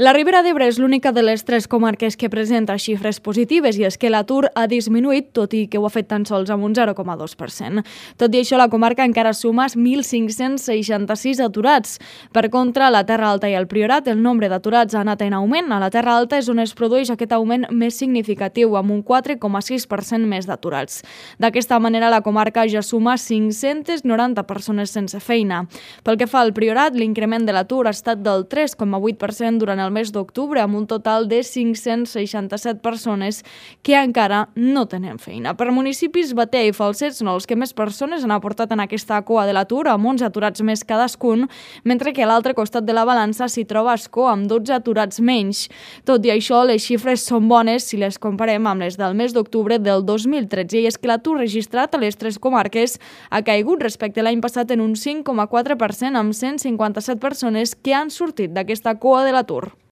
La Ribera d'Ebre és l'única de les tres comarques que presenta xifres positives i és que l'atur ha disminuït, tot i que ho ha fet tan sols amb un 0,2%. Tot i això, la comarca encara suma 1.566 aturats. Per contra, a la Terra Alta i al Priorat, el nombre d'aturats ha anat en augment. A la Terra Alta és on es produeix aquest augment més significatiu, amb un 4,6% més d'aturats. D'aquesta manera, la comarca ja suma 590 persones sense feina. Pel que fa al Priorat, l'increment de l'atur ha estat del 3,8% durant el mes d'octubre, amb un total de 567 persones que encara no tenen feina. Per municipis, Batea i Falset són els que més persones han aportat en aquesta cua de l'atur, amb 11 aturats més cadascun, mentre que a l'altre costat de la balança s'hi troba Ascó, amb 12 aturats menys. Tot i això, les xifres són bones si les comparem amb les del mes d'octubre del 2013, i és que l'atur registrat a les tres comarques ha caigut respecte a l'any passat en un 5,4%, amb 157 persones que han sortit d'aquesta cua de l'atur.